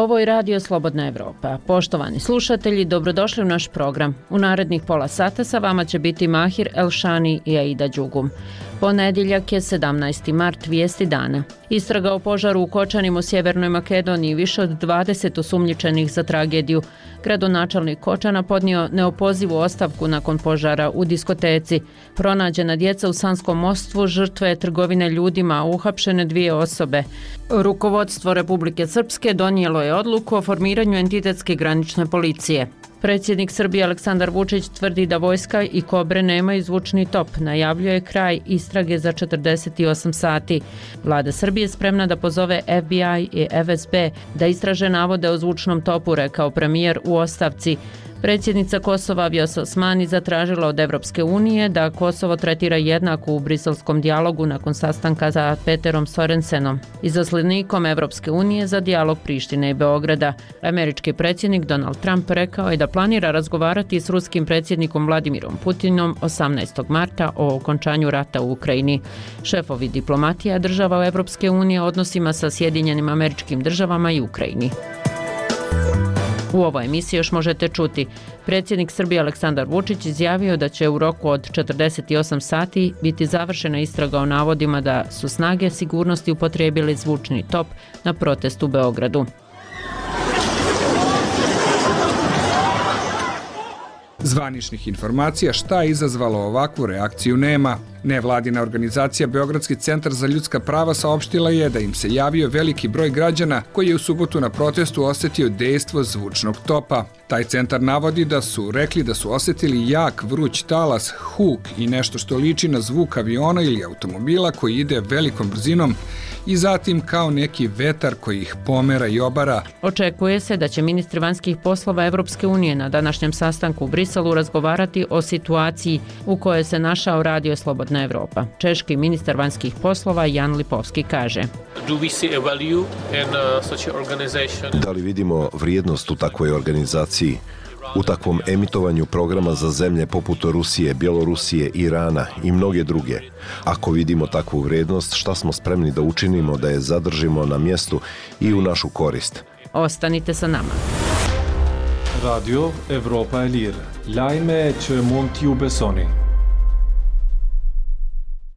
Ovo je Radio Slobodna Evropa. Poštovani slušatelji, dobrodošli u naš program. U narednih pola sata sa vama će biti Mahir Elšani i Aida Đugum. Ponedjeljak je 17. mart, vijesti dana. Istraga o požaru u Kočanima u Sjevernoj Makedoniji, više od 20 osumnjičenih za tragediju. Gradonačelnik Kočana podnio neopozivu ostavku nakon požara u diskoteci. Pronađena djeca u Sanskom Mostu, žrtve trgovine ljudima, uhapšene 2 osobe. Rukovodstvo Republike Srpske donijelo je odluku o formiranju entitetske granične policije. Predsjednik Srbije Aleksandar Vučić tvrdi da vojska i Kobre nemaju zvučni top. Najavljuje kraj istrage za 48 sati. Vlada Srbije spremna da pozove FBI i FSB da istraže navode o zvučnom topu, rekao premijer u ostavci. Predsjednica Kosova Vjosa Osmani zatražila od Evropske unije da Kosovo tretira jednako u briselskom dijalogu nakon sastanka sa Peterom Sorensenom, izaslanikom Evropske unije za dijalog Prištine i Beograda. Američki predsjednik Donald Trump rekao je da planira razgovarati s ruskim predsjednikom Vladimirom Putinom 18. marta o okončanju rata u Ukrajini. Šefovi diplomatija država Evropske unije odnosima sa Sjedinjenim Američkim Državama i Ukrajini. U ovoj emisiji još možete čuti. Predsjednik Srbije Aleksandar Vučić izjavio da će u roku od 48 sati biti završena istraga o navodima da su snage sigurnosti upotrijebili zvučni top na protestu u Beogradu. Zvaničnih informacija šta je izazvalo ovakvu reakciju nema. Nevladina organizacija Beogradski centar za ljudska prava saopštila je da im se javio veliki broj građana koji je u subotu na protestu osjetio dejstvo zvučnog topa. Taj centar navodi da su rekli da su osjetili jak vruć talas, huk i nešto što liči na zvuk aviona ili automobila koji ide velikom brzinom i zatim kao neki vetar koji ih pomera i obara. Očekuje se da će ministri vanjskih poslova Evropske unije na današnjem sastanku u Briselu razgovarati o situaciji u kojoj se našao Radio Slobodna Evropa. Češki ministar vanjskih poslova Jan Lipovski kaže: Da li vidimo vrijednost u takvoj organizaciji, u takvom emitovanju programa za zemlje poput Rusije, Bjelorusije, Irana i mnoge druge? Ako vidimo takvu vrijednost, šta smo spremni da učinimo da je zadržimo na mjestu i u našu korist? Ostanite sa nama. Radio Evropa e Lirë, lajme që mund t'ju besoni.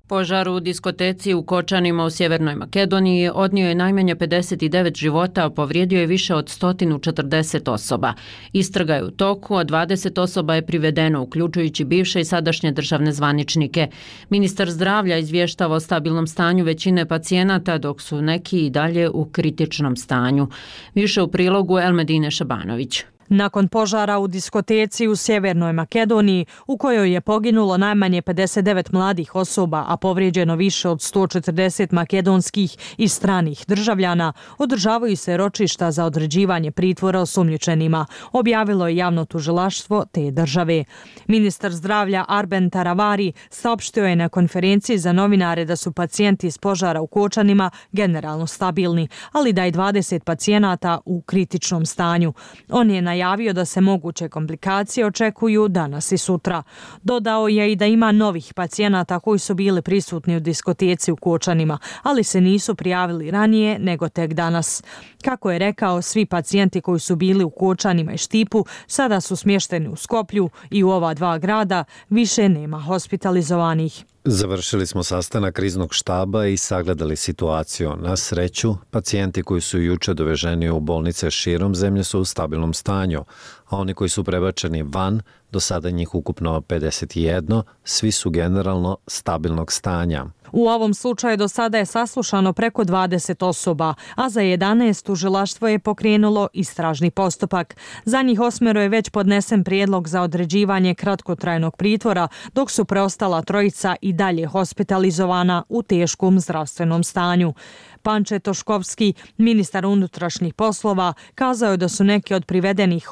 Požar u diskoteci u Kočanima u Sjevernoj Makedoniji odnio je najmanje 59 života, a povrijedio je više od 140 osoba. Istraga je u toku, a 20 osoba je privedeno, uključujući bivše i sadašnje državne zvaničnike. Ministar zdravlja izvještava o stabilnom stanju većine pacijenata, dok su neki i dalje u kritičnom stanju. Više u prilogu Elmedine Šabanović. Nakon požara u diskoteci u Sjevernoj Makedoniji, u kojoj je poginulo najmanje 59 mladih osoba, a povrijeđeno više od 140 makedonskih i stranih državljana, održavaju se ročišta za određivanje pritvora osumnjičenima, objavilo je javno tužilaštvo te države. Ministar zdravlja Arben Taravari saopštio je na konferenciji za novinare da su pacijenti iz požara u Kočanima generalno stabilni, ali da je 20 pacijenata u kritičnom stanju. On je najavio da se moguće komplikacije očekuju danas i sutra. Dodao je i da ima novih pacijenata koji su bili prisutni u diskoteci u Kočanima, ali se nisu prijavili ranije nego tek danas. Kako je rekao, svi pacijenti koji su bili u Kočanima i Štipu sada su smješteni u Skoplju i u ova 2 grada više nema hospitalizovanih. Završili smo sastanak kriznog štaba i sagledali situaciju. Na sreću, pacijenti koji su juče doveženi u bolnice širom zemlje su u stabilnom stanju, a oni koji su prebačeni van, do sada njih ukupno 51, svi su generalno stabilnog stanja. U ovom slučaju do sada je saslušano preko 20 osoba, a za 11 tužilaštvo je pokrenulo istražni postupak. Za njih 8 je već podnesen prijedlog za određivanje kratkotrajnog pritvora, dok su preostala 3 i dalje hospitalizovana u teškom zdravstvenom stanju. Panče Toškovski, ministar unutrašnjih poslova, kazao je da su neke od privedenih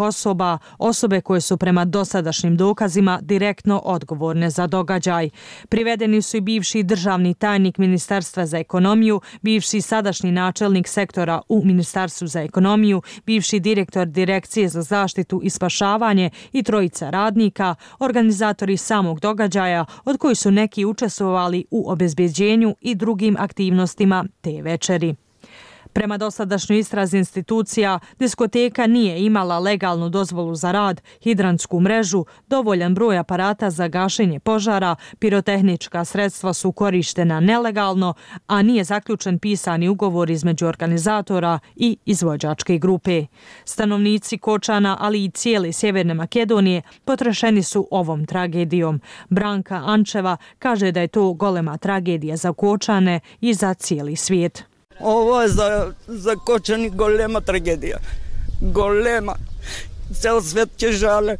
osobe koje su prema dosadašnjim dokazima direktno odgovorne za događaj. Privedeni su i bivši državni tajnik Ministarstva za ekonomiju, bivši sadašnji načelnik sektora u Ministarstvu za ekonomiju, bivši direktor Direkcije za zaštitu i spašavanje i 3 radnika, organizatori samog događaja, od kojih su neki učestvovali u obezbeđenju i drugim aktivnostima te večeri. Prema dosadašnjoj istrazi institucija, diskoteka nije imala legalnu dozvolu za rad, hidrantsku mrežu, dovoljan broj aparata za gašenje požara, pirotehnička sredstva su korištena nelegalno, a nije zaključen pisani ugovor između organizatora i izvođačke grupe. Stanovnici Kočana, ali i cijele Sjeverne Makedonije potrešeni su ovom tragedijom. Branka Ančeva kaže da je to golema tragedija za Kočane i za cijeli svijet. Ovo je za Kočani golema tragedija. Golema. Cel svet će žale.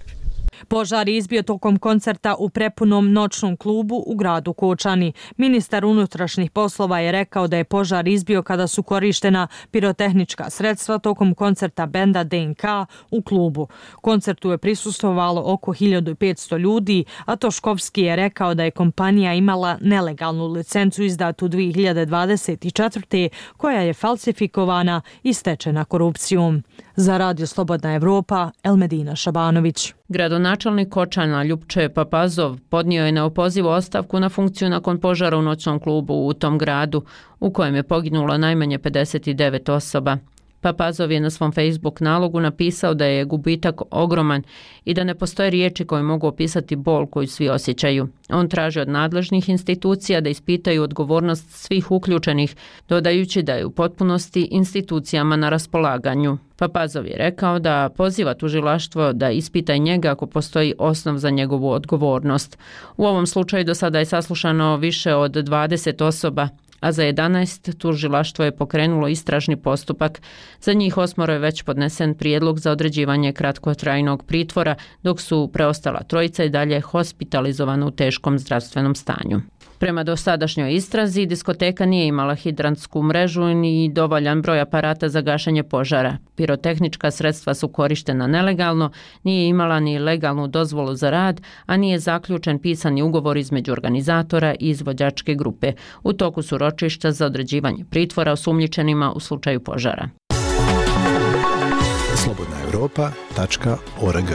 Požar je izbio tokom koncerta u prepunom noćnom klubu u gradu Kočani. Ministar unutrašnjih poslova je rekao da je požar izbio kada su korištena pirotehnička sredstva tokom koncerta benda DNK u klubu. Koncertu je prisustvovalo oko 1500 ljudi, a Toškovski je rekao da je kompanija imala nelegalnu licencu izdatu 2024. koja je falsifikovana i stečena korupcijom. Za Radio Slobodna Evropa, Elmedina Šabanović. Gradonačelnik Kočana Ljupče Papazov podnio je neopozivu ostavku na funkciju nakon požara u noćnom klubu u tom gradu, u kojem je poginulo najmanje 59 osoba. Papazov je na svom Facebook nalogu napisao da je gubitak ogroman i da ne postoje riječi koje mogu opisati bol koju svi osjećaju. On traži od nadležnih institucija da ispitaju odgovornost svih uključenih, dodajući da je u potpunosti institucijama na raspolaganju. Papazov je rekao da poziva tužilaštvo da ispita njega ako postoji osnov za njegovu odgovornost. U ovom slučaju do sada je saslušano više od 20 osoba, a za 11 tužilaštvo je pokrenulo istražni postupak. Za njih 8 je već podnesen prijedlog za određivanje kratkotrajnog pritvora, dok su preostala trojica i dalje hospitalizovana u teškom zdravstvenom stanju. Prema dosadašnjoj istrazi, diskoteka nije imala hidrantsku mrežu ni dovoljan broj aparata za gašenje požara. Pirotehnička sredstva su korištena nelegalno, nije imala ni legalnu dozvolu za rad, a nije zaključen pisani ugovor između organizatora i izvođačke grupe. U toku su ročišta za određivanje pritvora osumnjičenima u slučaju požara. slobodnaevropa.org.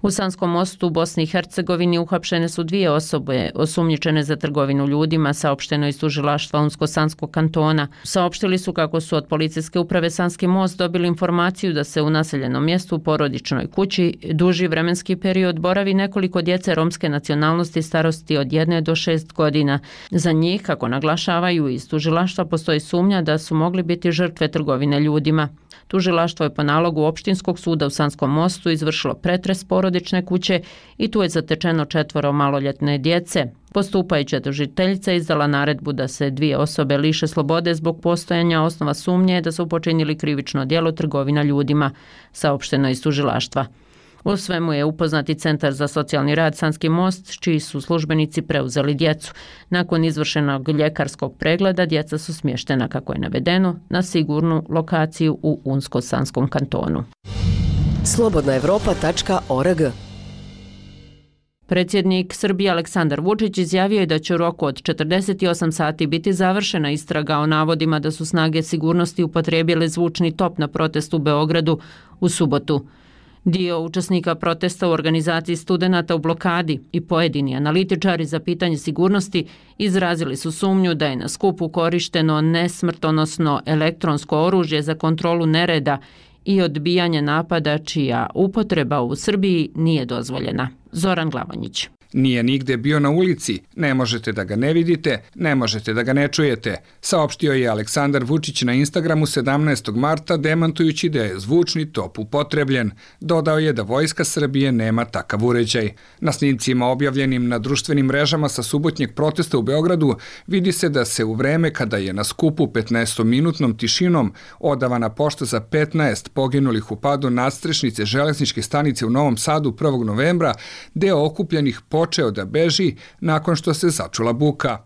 U Sanskom mostu u Bosni i Hercegovini uhapšene su 2 osobe osumnjičene za trgovinu ljudima, saopšteno iz tužilaštva Unsko-Sanskog kantona. Saopštili su kako su od policijske uprave Sanski most dobili informaciju da se u naseljenom mjestu u porodičnoj kući duži vremenski period boravi nekoliko djece romske nacionalnosti starosti od 1 do 6 godina. Za njih, kako naglašavaju iz tužilaštva, postoji sumnja da su mogli biti žrtve trgovine ljudima. Tužilaštvo je po nalogu Opštinskog suda u Sanskom mostu izvršilo pretres porodične kuće i tu je zatečeno 4 maloljetne djece. Postupajuća tužiteljica izdala naredbu da se 2 osobe liše slobode zbog postojanja osnova sumnje da su počinili krivično djelo trgovina ljudima, saopšteno iz tužilaštva. U svemu je upoznati Centar za socijalni rad Sanski most, čiji su službenici preuzeli djecu. Nakon izvršenog ljekarskog pregleda djeca su smještena, kako je navedeno, na sigurnu lokaciju u Unsko-Sanskom kantonu. slobodnaevropa.org. Predsjednik Srbije Aleksandar Vučić izjavio je da će u roku od 48 sati biti završena istraga o navodima da su snage sigurnosti upotrijebile zvučni top na protestu u Beogradu u subotu. Dio učesnika protesta u organizaciji studenata u blokadi i pojedini analitičari za pitanje sigurnosti izrazili su sumnju da je na skupu korišteno nesmrtonosno elektronsko oružje za kontrolu nereda i odbijanje napada čija upotreba u Srbiji nije dozvoljena. Zoran Glavonjić. Nije nigde bio na ulici, ne možete da ga ne vidite, ne možete da ga ne čujete, saopštio je Aleksandar Vučić na Instagramu 17. marta demantujući da je zvučni top upotrebljen. Dodao je da Vojska Srbije nema takav uređaj. Na snimcima objavljenim na društvenim mrežama sa subotnjeg protesta u Beogradu vidi se da se u vreme kada je na skupu 15-minutnom tišinom odavana pošta za 15 poginulih u padu nadstrešnice železničke stanice u Novom Sadu 1. novembra, deo okupljenih počeo da beži nakon što se začula buka.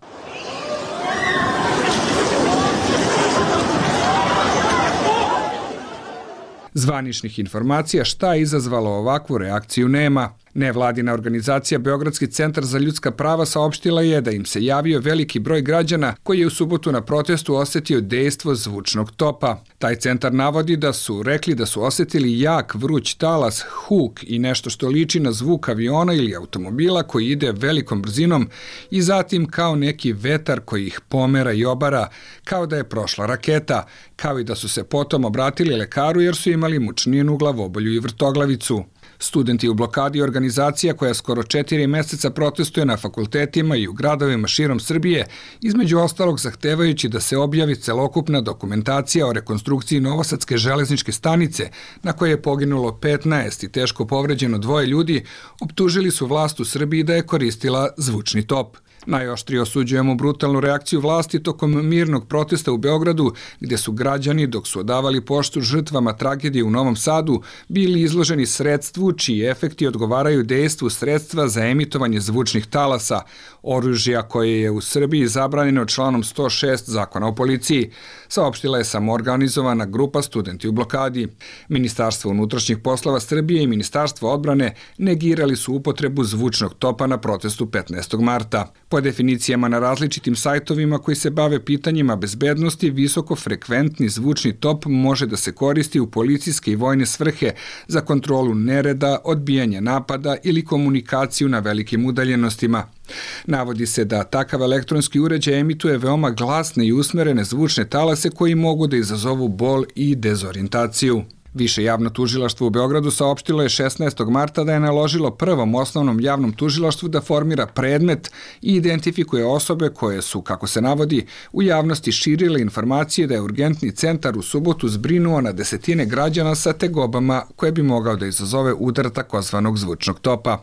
Zvaničnih informacija šta je izazvalo ovakvu reakciju nema. Nevladina organizacija Beogradski centar za ljudska prava saopštila je da im se javio veliki broj građana koji je u subotu na protestu osetio dejstvo zvučnog topa. Taj centar navodi da su rekli da su osetili jak vruć talas, huk i nešto što liči na zvuk aviona ili automobila koji ide velikom brzinom i zatim kao neki vetar koji ih pomera i obara, kao da je prošla raketa, kao i da su se potom obratili lekaru jer su imali mučninu, glavobolju i vrtoglavicu. Studenti u blokadi je organizacija koja skoro 4 meseca protestuje na fakultetima i u gradovima širom Srbije, između ostalog zahtevajući da se objavi celokupna dokumentacija o rekonstrukciji Novosadske železničke stanice, na kojoj je poginulo 15 i teško povređeno 2 ljudi, optužili su vlast u Srbiji da je koristila zvučni top. Najoštrije osuđujemo brutalnu reakciju vlasti tokom mirnog protesta u Beogradu, gdje su građani, dok su odavali poštu žrtvama tragedije u Novom Sadu, bili izloženi sredstvu čiji efekti odgovaraju dejstvu sredstva za emitovanje zvučnih talasa, oružja koje je u Srbiji zabranjeno članom 106 Zakona o policiji, saopštila je samoorganizovana grupa Studenti u blokadi. Ministarstvo unutrašnjih poslova Srbije i Ministarstvo odbrane negirali su upotrebu zvučnog topa na protestu 15. marta. Po definicijama na različitim sajtovima koji se bave pitanjima bezbednosti, visokofrekventni zvučni top može da se koristi u policijske i vojne svrhe za kontrolu nereda, odbijanje napada ili komunikaciju na velikim udaljenostima. Navodi se da takav elektronski uređaj emituje veoma glasne i usmerene zvučne talase koji mogu da izazovu bol i dezorijentaciju. Više javno tužilaštvo u Beogradu saopštilo je 16. marta da je naložilo Prvom osnovnom javnom tužilaštvu da formira predmet i identifikuje osobe koje su, kako se navodi, u javnosti širile informacije da je urgentni centar u subotu zbrinuo na desetine građana sa tegobama koje bi mogao da izazove udar takozvanog zvučnog topa.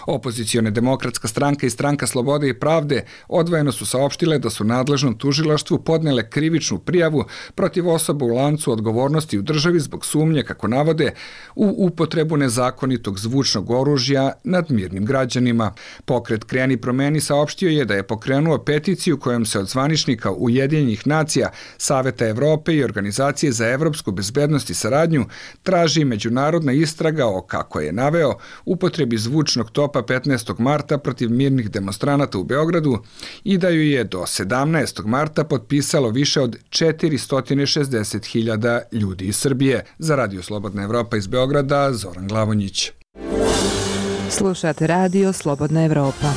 Opozicione Demokratska stranka i Stranka slobode i pravde odvojeno su saopštile da su nadležnom tužilaštvu podnele krivičnu prijavu protiv osoba u lancu odgovornosti u državi zbog sumnje, kako navode, u upotrebu nezakonitog zvučnog oružja nad mirnim građanima. Pokret Kreni promeni saopštio je da je pokrenuo peticiju kojom se od zvaničnika Ujedinjenih nacija, Saveta Evrope i Organizacije za evropsku bezbednost i saradnju traži međunarodna istraga o, kako je naveo, upotrebi zvučnog topa 15. marta protiv mirnih demonstranata u Beogradu i da ju je do 17. marta potpisalo više od 460.000 ljudi iz Srbije. Za Radio Slobodna Evropa iz Beograda, Zoran Glavonjić. Slušate Radio Slobodna Evropa.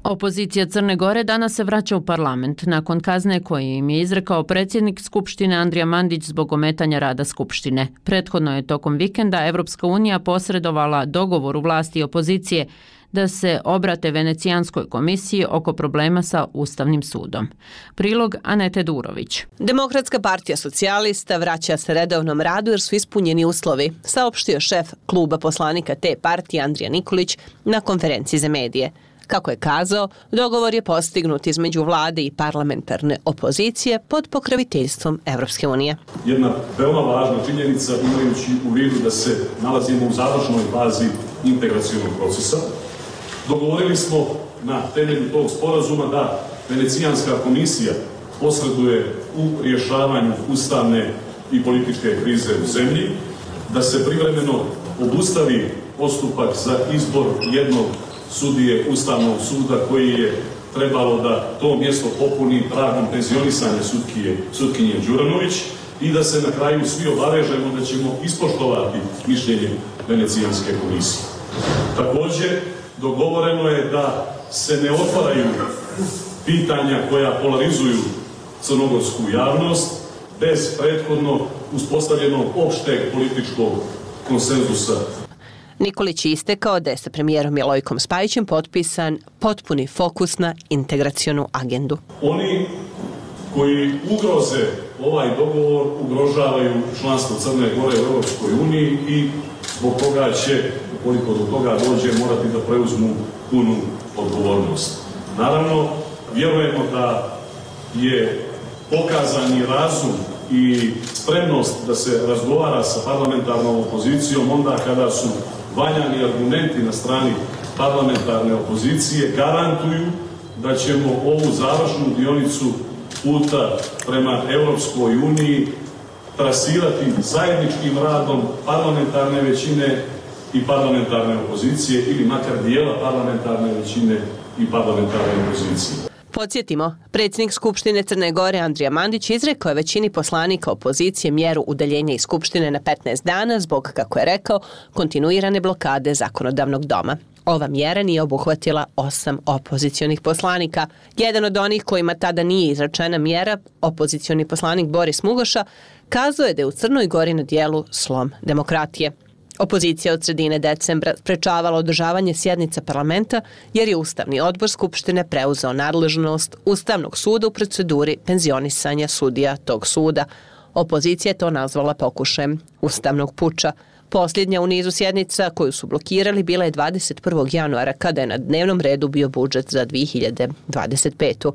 Opozicija Crne Gore danas se vraća u parlament nakon kazne koju im je izrekao predsjednik Skupštine Andrija Mandić zbog ometanja rada Skupštine. Prethodno je tokom vikenda Evropska unija posredovala dogovoru vlasti i opozicije da se obrate Venecijanskoj komisiji oko problema sa Ustavnim sudom. Prilog Anete Durović. Demokratska partija socijalista vraća se redovnom radu jer su ispunjeni uslovi, saopštio šef kluba poslanika te partije Andrija Nikolić na konferenciji za medije. Kako je kazao, dogovor je postignut između vlade i parlamentarne opozicije pod pokroviteljstvom Evropske unije. Jedna veoma važna činjenica, imajući u vidu da se nalazimo u završnoj fazi integracionog procesa, dogovorili smo na temelju tog sporazuma da Venecijanska komisija posreduje u rješavanju ustavne i političke krize u zemlji, da se privremeno obustavi postupak za izbor jednog sudije Ustavnog suda koji je trebalo da to mjesto popuni tragom penzionisanja sutkinje Đuranović i da se na kraju svi obavežemo da ćemo ispoštovati mišljenje Venecijanske komisije. Također, dogovoreno je da se ne otvaraju pitanja koja polarizuju crnogorsku javnost bez prethodno uspostavljenog opšteg političkog konsenzusa. Nikolić je istekao da je sa premijerom Milojkom Spajićem potpisan potpuni fokus na integracionu agendu. Oni koji ugroze ovaj dogovor ugrožavaju članstvo Crne Gore u Europskoj uniji i zbog toga će, ukoliko do toga dođe, morati da preuzmu punu odgovornost. Naravno, vjerujemo da je pokazani razum i spremnost da se razgovara sa parlamentarnom opozicijom onda kada su valjani argumenti na strani parlamentarne opozicije garantuju da ćemo ovu završnu dionicu puta prema Europskoj uniji trasirati zajedničkim radom parlamentarne većine i parlamentarne opozicije ili makar dijela parlamentarne većine i parlamentarne opozicije. Podsjetimo, predsjednik Skupštine Crne Gore Andrija Mandić izrekao je većini poslanika opozicije mjeru udaljenja iz Skupštine na 15 dana zbog, kako je rekao, kontinuirane blokade zakonodavnog doma. Ova mjera nije obuhvatila 8 opozicionih poslanika. Jedan od onih kojima tada nije izrečena mjera, opozicioni poslanik Boris Mugoša, kazao je da je u Crnoj Gori na dijelu slom demokratije. Opozicija od sredine decembra sprečavala održavanje sjednica parlamenta jer je Ustavni odbor Skupštine preuzeo nadležnost Ustavnog suda u proceduri penzionisanja sudija tog suda. Opozicija je to nazvala pokušajem ustavnog puča. Posljednja u nizu sjednica koju su blokirali bila je 21. januara kada je na dnevnom redu bio budžet za 2025.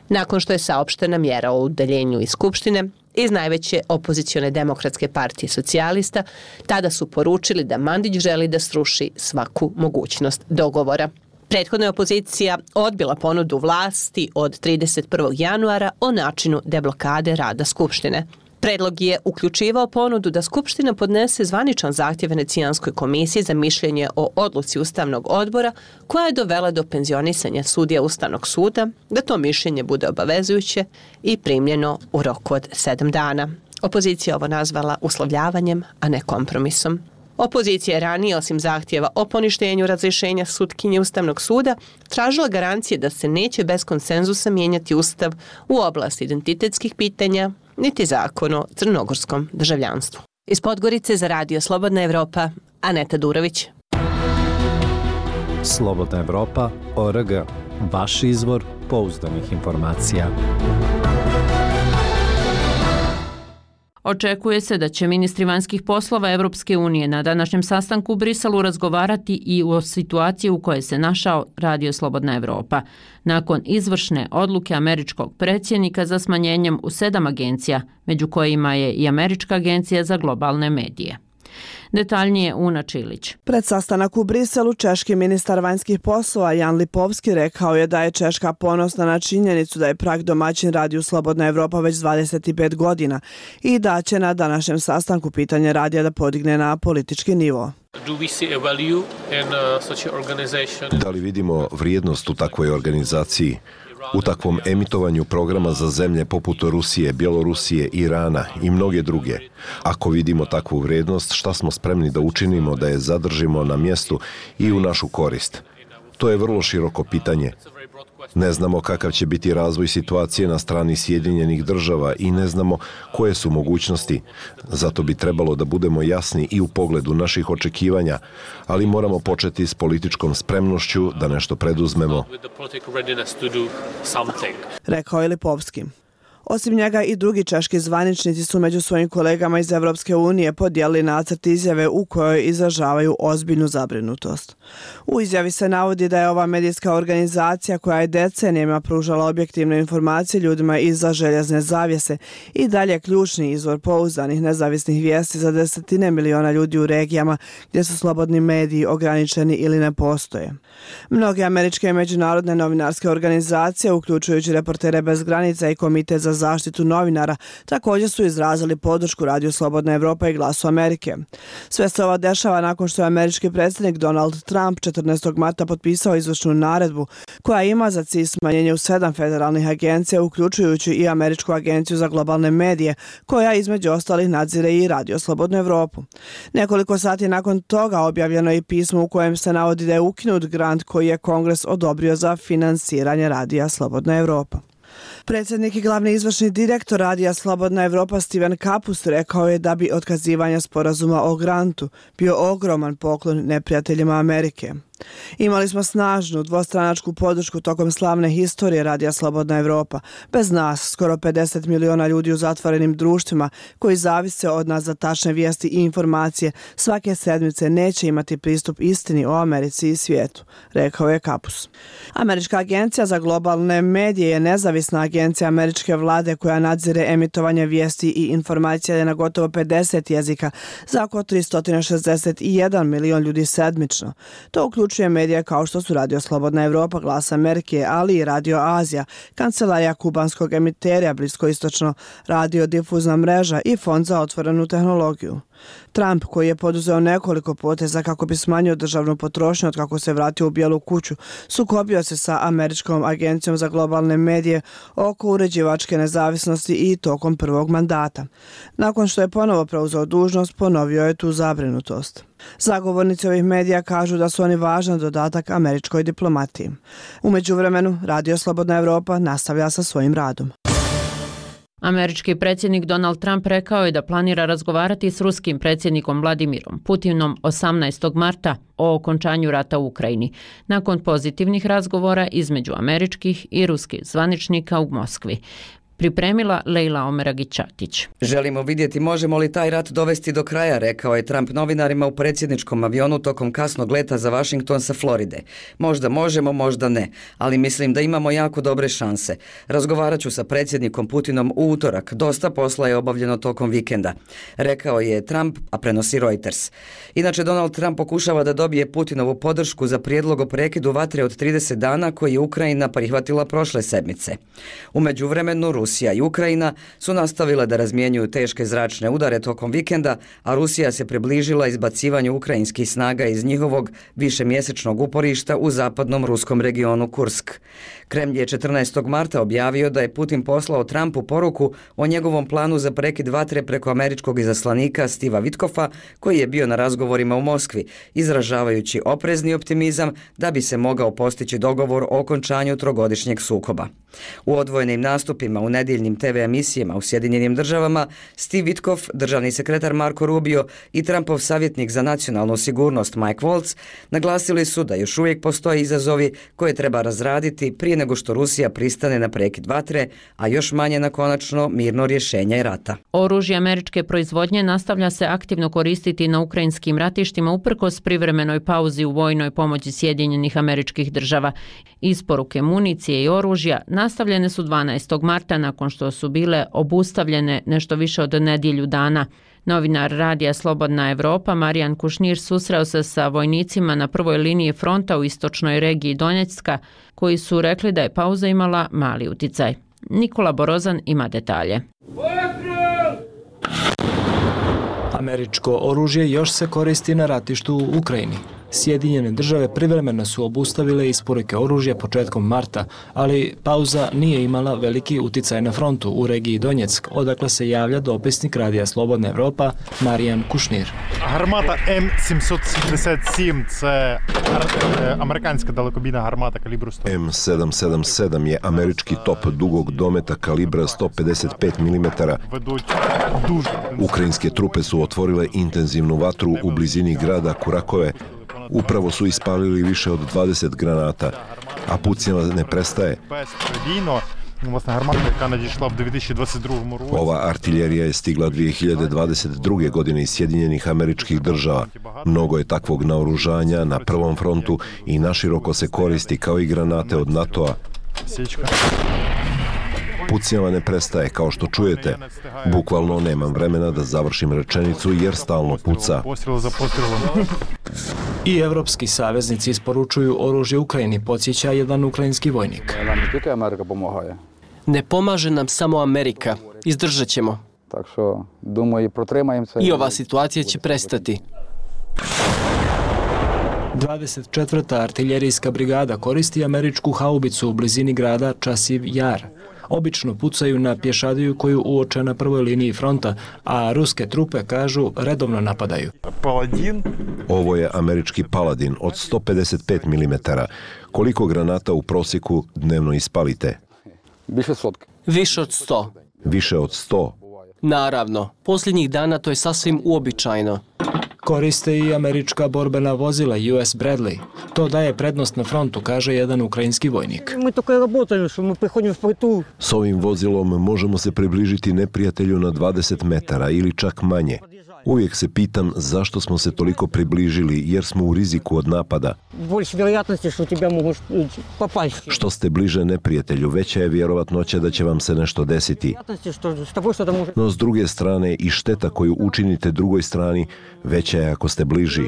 Nakon što je saopštena mjera o udaljenju iz Skupštine, iz najveće opozicione demokratske partije socijalista, tada su poručili da Mandić želi da sruši svaku mogućnost dogovora. Prethodna je opozicija odbila ponudu vlasti od 31. januara o načinu deblokade rada Skupštine. Predlog je uključivao ponudu da Skupština podnese zvaničan zahtjev Venecijanskoj komisiji za mišljenje o odluci Ustavnog odbora koja je dovela do penzionisanja sudija Ustavnog suda, da to mišljenje bude obavezujuće i primljeno u roku od 7 dana. Opozicija ovo nazvala uslovljavanjem, a ne kompromisom. Opozicija je ranije, osim zahtjeva o poništenju razrješenja sutkinje Ustavnog suda, tražila garancije da se neće bez konsenzusa mijenjati Ustav u oblasti identitetskih pitanja, niti zakon o crnogorskom državljanstvu. Iz Podgorice za Radio Slobodna Evropa, Aneta Durović. Slobodna Evropa.org. Vaš izvor pouzdanih informacija. Očekuje se da će ministri vanjskih poslova Evropske unije na današnjem sastanku u Briselu razgovarati i o situaciji u kojoj se našao Radio Slobodna Evropa, nakon izvršne odluke američkog predsjednika za smanjenjem u 7 agencija, među kojima je i Američka agencija za globalne medije. Detaljnije Una Čilić. Pred sastanak u Briselu češki ministar vanjskih poslova Jan Lipovski rekao je da je Češka ponosna na činjenicu da je prag domaćin Radiju Slobodna Evropa već 25 godina i da će na današnjem sastanku pitanje radija da podigne na politički nivo. Da li vidimo vrijednost u takvoj organizaciji? U takvom emitovanju programa za zemlje poput Rusije, Bjelorusije, Irana i mnoge druge. Ako vidimo takvu vrijednost, šta smo spremni da učinimo da je zadržimo na mjestu i u našu korist? To je vrlo široko pitanje. Ne znamo kakav će biti razvoj situacije na strani Sjedinjenih država i ne znamo koje su mogućnosti. Zato bi trebalo da budemo jasni i u pogledu naših očekivanja, ali moramo početi s političkom spremnošću da nešto preduzmemo. Rekao je Lipovski. Osim njega i drugi češki zvaničnici su među svojim kolegama iz Evropske unije podijelili nacrt izjave u kojoj izražavaju ozbiljnu zabrinutost. U izjavi se navodi da je ova medijska organizacija koja je decenijama pružala objektivne informacije ljudima iza željezne zavjese i dalje ključni izvor pouzdanih nezavisnih vijesti za desetine miliona ljudi u regijama gdje su slobodni mediji ograničeni ili ne postoje. Mnoge američke i međunarodne novinarske organizacije, uključujući Reportere bez granica i Komitet za zaštitu novinara, također su izrazili podršku Radiju Slobodna Evropa i Glasu Amerike. Sve se ovo dešava nakon što je američki predsjednik Donald Trump 14. marta potpisao izvršnu naredbu koja ima za cilj smanjenje u 7 federalnih agencija, uključujući i Američku agenciju za globalne medije, koja između ostalih nadzire i Radio Slobodnu Evropu. Nekoliko sati nakon toga objavljeno je i pismo u kojem se navodi da je ukinut grant koji je Kongres odobrio za finansiranje Radija Slobodna Evropa. Predsjednik i glavni izvršni direktor Radija Slobodna Evropa Steven Kapus rekao je da bi otkazivanje sporazuma o grantu bio ogroman poklon neprijateljima Amerike. Imali smo snažnu dvostranačku podršku tokom slavne historije Radija Slobodna Evropa. Bez nas, skoro 50 miliona ljudi u zatvorenim društvima koji zavise od nas za tačne vijesti i informacije svake sedmice neće imati pristup istini o Americi i svijetu, rekao je Kapus. Američka agencija za globalne medije je nezavisna agencija agencija američke vlade koja nadzire emitovanje vijesti i informacija na gotovo 50 jezika za oko 361 milion ljudi sedmično. To uključuje medije kao što su Radio Slobodna Evropa, Glas Amerike, ali i Radio Azija, kancelarija kubanskog emiterija Bliskoistočno, radio difuzna mreža i Fond za otvorenu tehnologiju. Trump, koji je poduzeo nekoliko poteza kako bi smanjio državnu potrošnju od kako se vratio u Bijelu kuću, sukobio se sa Američkom agencijom za globalne medije oko uređivačke nezavisnosti i tokom prvog mandata. Nakon što je ponovo preuzeo dužnost, ponovio je tu zabrinutost. Zagovornici ovih medija kažu da su oni važan dodatak američkoj diplomatiji. U međuvremenu, Radio Slobodna Evropa nastavlja sa svojim radom. Američki predsjednik Donald Trump rekao je da planira razgovarati s ruskim predsjednikom Vladimirom Putinom 18. marta o okončanju rata u Ukrajini, nakon pozitivnih razgovora između američkih i ruskih zvaničnika u Moskvi. Pripremila Lejla Omeragić-Čatić. Želimo vidjeti možemo li taj rat dovesti do kraja, rekao je Trump novinarima u predsjedničkom avionu tokom kasnog leta za Washington sa Floride. Možda možemo, možda ne, ali mislim da imamo jako dobre šanse. Razgovarat ću sa predsjednikom Putinom u utorak, dosta posla je obavljeno tokom vikenda, rekao je Trump, a prenosi Reuters. Inače, Donald Trump pokušava da dobije Putinovu podršku za prijedlog o prekidu vatre od 30 dana koji je Ukrajina prihvatila prošle sedmice. U međuvremenu, Rusija i Ukrajina su nastavile da razmjenjuju teške zračne udare tokom vikenda, a Rusija se približila izbacivanju ukrajinskih snaga iz njihovog višemjesečnog uporišta u zapadnom ruskom regionu Kursk. Kremlj je 14. marta objavio da je Putin poslao Trumpu poruku o njegovom planu za prekid vatre preko američkog izaslanika Steva Witkoffa, koji je bio na razgovorima u Moskvi, izražavajući oprezni optimizam da bi se mogao postići dogovor o okončanju trogodišnjeg sukoba. U odvojenim nastupima u nedjeljnim TV emisijama u Sjedinjenim državama, Steve Witkoff, državni sekretar Marco Rubio i Trumpov savjetnik za nacionalnu sigurnost Mike Waltz naglasili su da još uvijek postoje izazovi koje treba razraditi prije nego što Rusija pristane na prekid vatre, a još manje na konačno mirno rješenje rata. Oružje američke proizvodnje nastavlja se aktivno koristiti na ukrajinskim ratištima uprkos privremenoj pauzi u vojnoj pomoći Sjedinjenih Američkih Država. Isporuke municije i oružja nastavljene su 12. marta nakon što su bile obustavljene nešto više od nedjelju dana. Novinar Radija Slobodna Evropa Marijan Kušnir susreo se sa vojnicima na prvoj liniji fronta u istočnoj regiji Donjecka, koji su rekli da je pauza imala mali uticaj. Nikola Borozan ima detalje. Američko oružje još se koristi na ratištu u Ukrajini. Sjedinjene države privremeno su obustavile isporuke oružja početkom marta, ali pauza nije imala veliki uticaj na frontu u regiji Donjeck, odakle se javlja dopisnik Radija Slobodna Evropa Marijan Kušnir. Гармата М777 – це американська далекобійна гармата калібру 100. M777 je američki top dugog dometa kalibra 155 mm. Ukrajinske trupe su otvorile intenzivnu vatru u blizini grada Kurakove. Upravo su ispalili više od 20 granata, a pucnjava ne prestaje. Ova artiljerija je stigla 2022. godine iz Sjedinjenih Američkih Država. Mnogo je takvog naoružanja na prvom frontu i naširoko se koristi kao i granate od NATO-a. Pucnjava ne prestaje, kao što čujete. Bukvalno nemam vremena da završim rečenicu jer stalno puca. I evropski saveznici isporučuju oružje Ukrajini, podsjeća jedan ukrajinski vojnik. Ne pomaže nam samo Amerika. Izdržat ćemo. I ova situacija će prestati. 24. artiljerijska brigada koristi američku haubicu u blizini grada Časiv Jar. Obično pucaju na pješadiju koju uoče na prvoj liniji fronta, a ruske trupe, kažu, redovno napadaju. Ovo je američki Paladin od 155 mm. Koliko granata u prosjeku dnevno ispalite? Više od 100. Više od 100? Naravno, posljednjih dana to je sasvim uobičajeno. Koriste i američka borbena vozila US Bradley. To daje prednost na frontu, kaže jedan ukrajinski vojnik. S ovim vozilom možemo se približiti neprijatelju na 20 metara ili čak manje. Uvijek se pitam zašto smo se toliko približili, jer smo u riziku od napada. Što ste bliže neprijatelju, veća je vjerovatnoća da će vam se nešto desiti. No s druge strane i šteta koju učinite drugoj strani veća je ako ste bliži.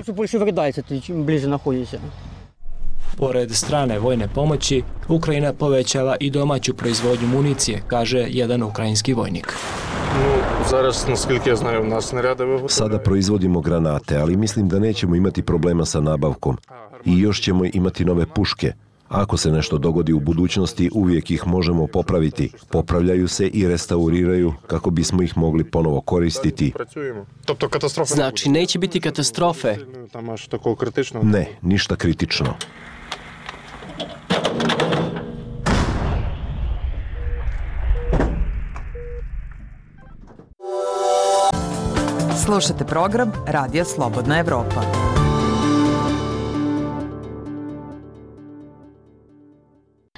Pored strane vojne pomoći, Ukrajina povećava i domaću proizvodnju municije, kaže jedan ukrajinski vojnik. Sada proizvodimo granate, ali mislim da nećemo imati problema sa nabavkom. I još ćemo imati nove puške. Ako se nešto dogodi u budućnosti, uvijek ih možemo popraviti. Popravljaju se i restauriraju kako bismo ih mogli ponovo koristiti. Znači, neće biti katastrofe? Ne, ništa kritično. Slušate program Radija Slobodna Evropa.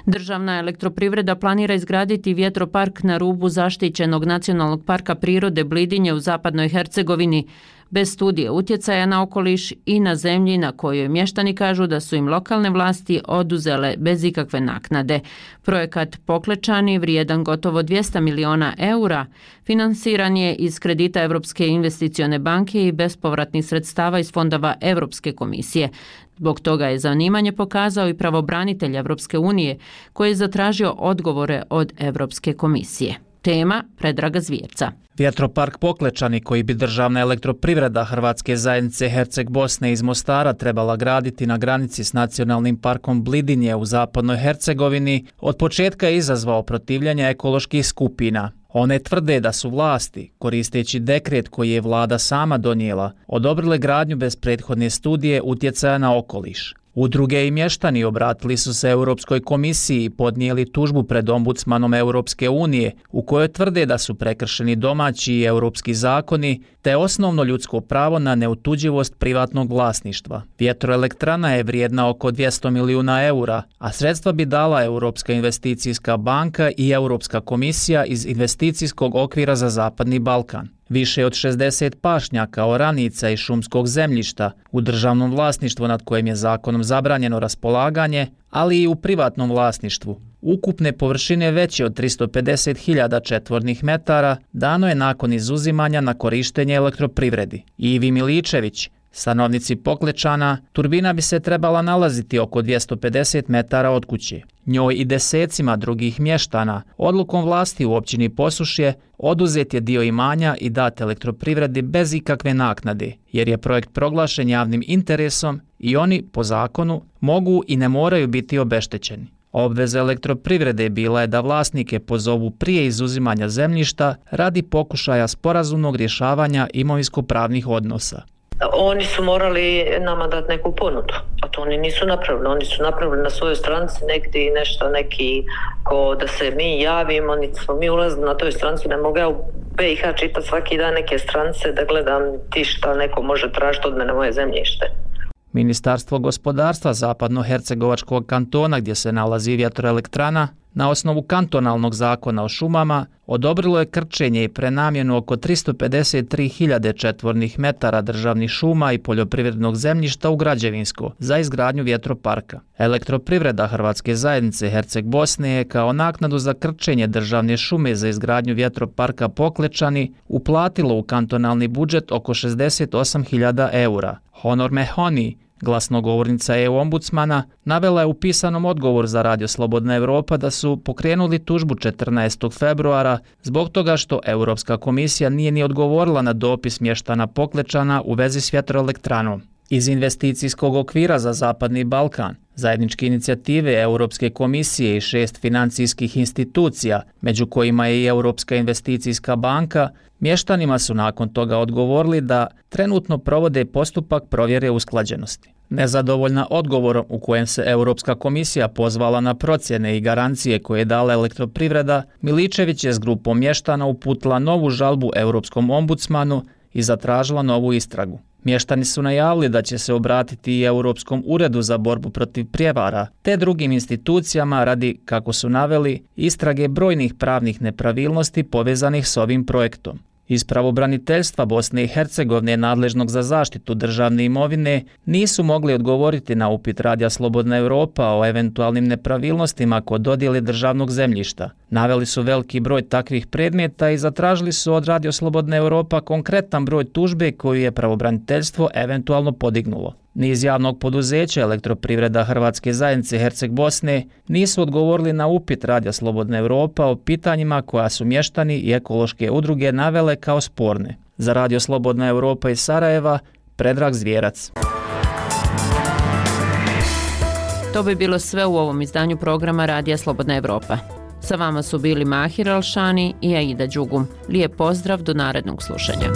Državna elektroprivreda planira izgraditi vjetropark na rubu zaštićenog nacionalnog parka prirode Blidinje u zapadnoj Hercegovini, bez studije utjecaja na okoliš i na zemlji na kojoj mještani kažu da su im lokalne vlasti oduzele bez ikakve naknade. Projekat Poklečani, vrijedan gotovo 200 miliona eura, finansiran je iz kredita Europske investicione banke i bespovratnih sredstava iz fondova Europske komisije. Zbog toga je zanimanje pokazao i pravobranitelj Europske unije, koji je zatražio odgovore od Europske komisije. Tema Predraga Zvijevca. Vjetropark Poklečani, koji bi državna elektroprivreda Hrvatske zajednice Herceg Bosne iz Mostara trebala graditi na granici s nacionalnim parkom Blidinje u zapadnoj Hercegovini, od početka je izazvao protivljenje ekoloških skupina. One tvrde da su vlasti, koristeći dekret koji je vlada sama donijela, odobrile gradnju bez prethodne studije utjecaja na okoliš. Udruge i mještani obratili su se Europskoj komisiji i podnijeli tužbu pred ombudsmanom Europske unije, u kojoj tvrde da su prekršeni domaći i europski zakoni, te osnovno ljudsko pravo na neotuđivost privatnog vlasništva. Vjetroelektrana je vrijedna oko 200 milijuna eura, a sredstva bi dala Europska investicijska banka i Europska komisija iz investicijskog okvira za Zapadni Balkan. Više od 60 pašnjaka, oranica i šumskog zemljišta u državnom vlasništvu nad kojim je zakonom zabranjeno raspolaganje, ali i u privatnom vlasništvu. Ukupne površine veće od 350.000 četvornih metara dano je nakon izuzimanja na korištenje elektroprivredi. Ivi Miličević, stanovnici Poklečana, turbina bi se trebala nalaziti oko 250 metara od kuće. Njoj i desecima drugih mještana odlukom vlasti u općini Posušje oduzet je dio imanja i dat elektroprivredi bez ikakve naknade, jer je projekt proglašen javnim interesom i oni, po zakonu, mogu i ne moraju biti obeštećeni. Obveza elektroprivrede bila je da vlasnike pozovu prije izuzimanja zemljišta radi pokušaja sporazumnog rješavanja imovinsko-pravnih odnosa. Oni su morali nama dati neku ponudu, a to oni nisu napravili. Oni su napravili na svojoj stranici negdje nešto, neki ko da se mi javimo, niti smo mi ulazili na toj stranici. Ne mogu ja u BiH čitati svaki dan neke stranice da gledam ti šta neko može tražiti od mene moje zemljište. Ministarstvo gospodarstva Zapadno-Hercegovačkog kantona, gdje se nalazi vjetroelektrana, na osnovu kantonalnog zakona o šumama odobrilo je krčenje i prenamjenu oko 353.000 četvornih metara državnih šuma i poljoprivrednog zemljišta u građevinsko za izgradnju vjetroparka. Elektroprivreda Hrvatske zajednice Herceg Bosne je kao naknadu za krčenje državne šume za izgradnju vjetroparka Poklečani uplatilo u kantonalni budžet oko 68.000 eura. Honor Mehoni, glasnogovornica EU-ombudsmana, navela je u pisanom odgovoru za Radio Slobodna Evropa da su pokrenuli tužbu 14. februara zbog toga što Europska komisija nije ni odgovorila na dopis mještana Poklečana u vezi s vjetroelektranom. Iz investicijskog okvira za Zapadni Balkan, zajedničke inicijative Europske komisije i 6 financijskih institucija, među kojima je i Europska investicijska banka, mještanima su nakon toga odgovorili da trenutno provode postupak provjere usklađenosti. Nezadovoljna odgovorom u kojem se Europska komisija pozvala na procjene i garancije koje je dala elektroprivreda, Miličević je s grupom mještana uputila novu žalbu Europskom ombudsmanu i zatražila novu istragu. Mještani su najavili da će se obratiti i Europskom uredu za borbu protiv prijevara, te drugim institucijama radi, kako su naveli, istrage brojnih pravnih nepravilnosti povezanih s ovim projektom. Iz pravobraniteljstva Bosne i Hercegovine nadležnog za zaštitu državne imovine nisu mogli odgovoriti na upit Radija Slobodna Europa o eventualnim nepravilnostima kod dodjele državnog zemljišta. Naveli su veliki broj takvih predmeta i zatražili su od Radio Slobodna Europa konkretan broj tužbe koju je pravobraniteljstvo eventualno podignulo. Ni iz javnog poduzeća Elektroprivreda Hrvatske zajednice Herceg Bosne nisu odgovorili na upit Radija Slobodna Europa o pitanjima koja su mještani i ekološke udruge navele kao sporne. Za Radio Slobodna Europa iz Sarajeva, Predrag Zvjerac. To bi bilo sve u ovom izdanju programa Radija Slobodna Evropa. Sa vama su bili Mahir Elšani i Aida Đugum. Lijep pozdrav, do narednog slušanja.